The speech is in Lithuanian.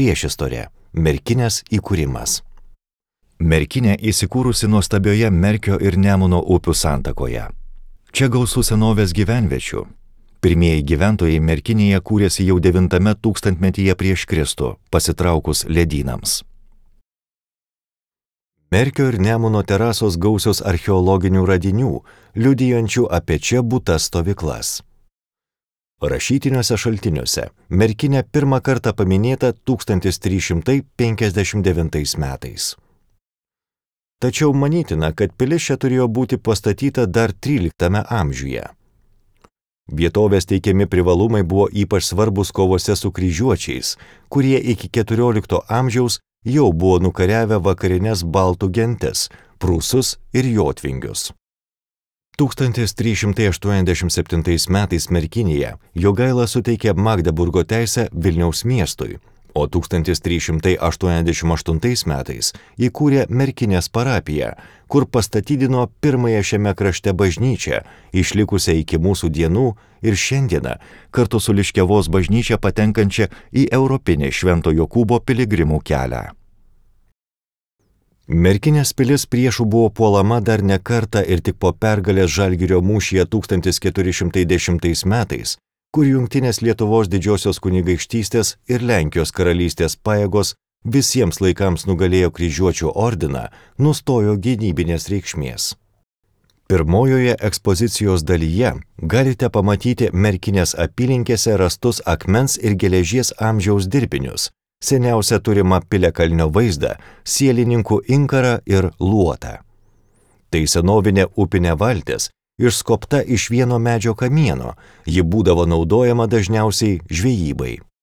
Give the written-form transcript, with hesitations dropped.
Priešistorė – Merkinės įkūrimas. Merkinė įsikūrusi nuostabioje Merkio ir Nemuno upių santakoje. Čia gausu senovės gyvenviečių. Pirmieji gyventojai Merkinėje kūrėsi jau 9 tūkstantmetyje prieš Kristų, pasitraukus ledynams. Merkio ir Nemuno terasos gausios archeologinių radinių, liudijančių apie čia būtas stovyklas. Rašytiniuose šaltiniuose Merkinė pirmą kartą paminėta 1359 metais. Tačiau manytina, kad pilis čia turėjo būti pastatyta dar 13 amžiuje. Vietovės teikiami privalumai buvo ypač svarbus kovose su kryžiuočiais, kurie iki 14 amžiaus jau buvo nukariavę vakarines baltų gentis – prūsus ir jotvingius. 1387 metais Merkinėje Jogaila suteikė Magdeburgo teisę Vilniaus miestui, o 1388 metais įkūrė Merkinės parapiją, kur pastatydino pirmąją šiame krašte bažnyčią, išlikusią iki mūsų dienų ir šiandieną kartu su Liškiavos bažnyčia patenkančią į europinį Švento Jokūbo piligrimų kelią. Merkinės pilis priešų buvo puolama dar ne kartą ir tik po pergalės Žalgirio mūšyje 1410 metais, kur Jungtinės Lietuvos didžiosios kunigaikštystės ir Lenkijos karalystės pajėgos visiems laikams nugalėjo kryžiuočių ordiną, nustojo gynybinės reikšmės. Pirmojoje ekspozicijos dalyje galite pamatyti Merkinės apylinkėse rastus akmens ir geležies amžiaus dirbinius, seniausia turima piliakalnio vaizdą, sielininkų inkarą ir luotą. Tai senovinė upinė valtis, išskobta iš vieno medžio kamieno, ji būdavo naudojama dažniausiai žvejybai.